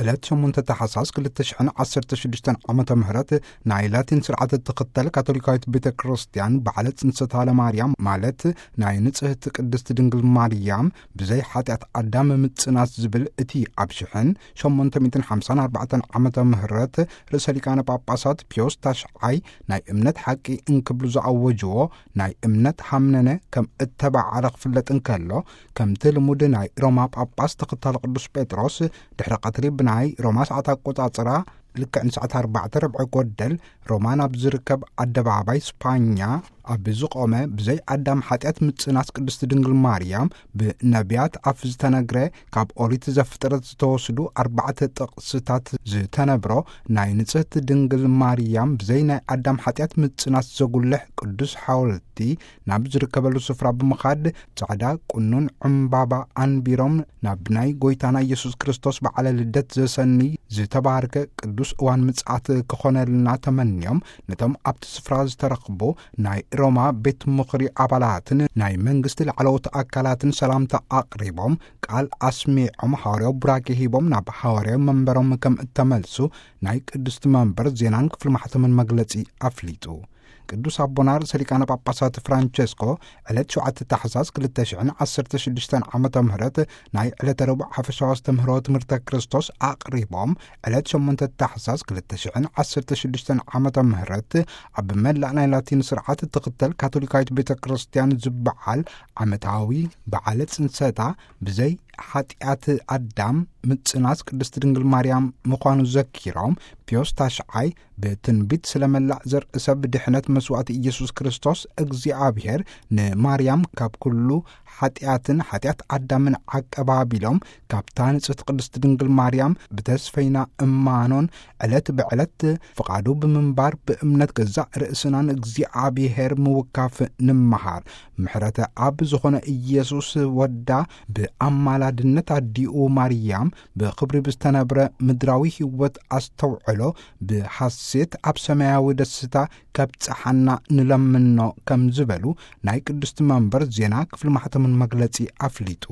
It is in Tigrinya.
ዕለት ሸሞንተ ታሕሳስ ክልተ ሽሕን ዓሰርተ ሽዱሽተን ዓመተ ምህረት ናይ ላቲን ስርዓት እትኽተል ካቶሊካዊት ቤተ ክርስቲያን በዓለ ጽንሰታ ለማርያም፣ ማለት ናይ ንጽህቲ ቅድስቲ ድንግል ማርያም ብዘይ ሓጢኣት ኣዳም ምጽናት ዝብል፣ እቲ ኣብ ሽሕን ሸሞንተ ሚእትን ሓምሳን ኣርባዕተን ዓመተ ምህረት ርእሰ ሊቃነ ጳጳሳት ፒዮስ ታሽዓይ ናይ እምነት ሓቂ እንክብሉ ዝኣወጅዎ ናይ እምነት ሃምነነ ከም እተባዓለ ክፍለጥ እንከሎ፣ ከምቲ ልሙድ ናይ ሮማ ጳጳስ ተኸታሊ ቅዱስ ጴጥሮስ ድሕሪ ቀትሪ ብናይ ሮማ ሰዓት ኣቆጻጽራ ልክዕ ንሰዓት ኣርባዕተ ርብዒ ጎደል ሮማ ናብ ዝርከብ ኣደባባይ ስፓኛ ኣብ ዝቆመ ብዘይ ኣዳም ሓጢኣት ምጽናት ቅድስቲ ድንግል ማርያም ብነቢያት ኣፍ ዝተነግረ ካብ ኦሪት ዘፍጥረት ዝተወስዱ ኣርባዕተ ጥቕስታት ዝተነብሮ ናይ ንጽህቲ ድንግል ማርያም ብዘይ ናይ ኣዳም ሓጢኣት ምጽናት ዘጉልሕ ቅዱስ ሓወልቲ ናብ ዝርከበሉ ስፍራ ብምኻድ ጻዕዳ ቁኑን ዕምባባ ኣንቢሮም ናብ ናይ ጎይታና ኢየሱስ ክርስቶስ በዓለ ልደት ዘሰንይ ዝተባረከ ቅዱስ እዋን ምጽኣት ክኾነልና ተመንዮም ነቶም ኣብቲ ስፍራ ዝተረኽቡ ናይ ሮማ ቤት ምኽሪ ኣባላትን ናይ መንግስቲ ላዕለዎት ኣካላትን ሰላምታ ኣቕሪቦም ቃል ኣስሚዖም ሃዋርያዊ ቡራኬ ሂቦም ናብ ሃዋርያዊ መንበሮም ከም እተመልሱ ናይ ቅድስቲ መንበር ዜናን ክፍሊ ማሕተምን መግለጺ ኣፍሊጡ። ቅዱስ ኣቦና ርእሰ ሊቃነ ጳጳሳት ፍራንቸስኮ ዕለት ሸውዓተ ታሕሳስ ክልተ ሽሕን ዓሰርተ ሽዱሽተን ዓመተ ምህረት ናይ ዕለተ ረቡዕ ሓፈሻዊ ኣስተምህሮ ትምህርተ ክርስቶስ ኣቕሪቦም፣ ዕለት ሸሞንተ ታሕሳስ ክልተ ሽሕን ዓሰርተ ሽዱሽተን ዓመተ ምህረት ኣብ መላእ ናይ ላቲን ስርዓት እትኽተል ካቶሊካዊት ቤተ ክርስቲያን ዝበዓል ዓመታዊ በዓለ ጽንሰታ ብዘይ ሓጢኣት ኣዳም ምጽናስ ቅድስቲ ድንግል ማርያም ምዃኑ ዘኪሮም፣ ፒዮስ ታሽዓይ ብትንቢት ስለ መላእ ዘርኢ ሰብ ድሕነት መስዋእቲ ኢየሱስ ክርስቶስ እግዚኣብሔር ንማርያም ካብ ኩሉ ሓጢኣትን ሓጢኣት ኣዳምን ዓቀብ ኣቢሎም ካብታ ንጽሕቲ ቅድስቲ ድንግል ማርያም ብተስፈይና እማኖን ዕለት ብዕለት ፍቓዱ ብምንባር ብእምነት ገዛእ ርእስናን እግዚኣብሔር ምውካፍ ንምሃር። ምሕረተ ኣብ ዝኾነ ኢየሱስ ወዳ ብኣማላድነት ኣዲኡ ማርያም ብኽብሪ ብዝተነብረ ምድራዊ ህይወት ኣስተውዕሎ ብሓሴት ኣብ ሰማያዊ ደስታ ከብጽሓና ንለምኖ ከም ዝበሉ ናይ ቅድስቲ መንበር ዜና ክፍሊ ማሕተምን መግለጺ ኣፍሊጡ።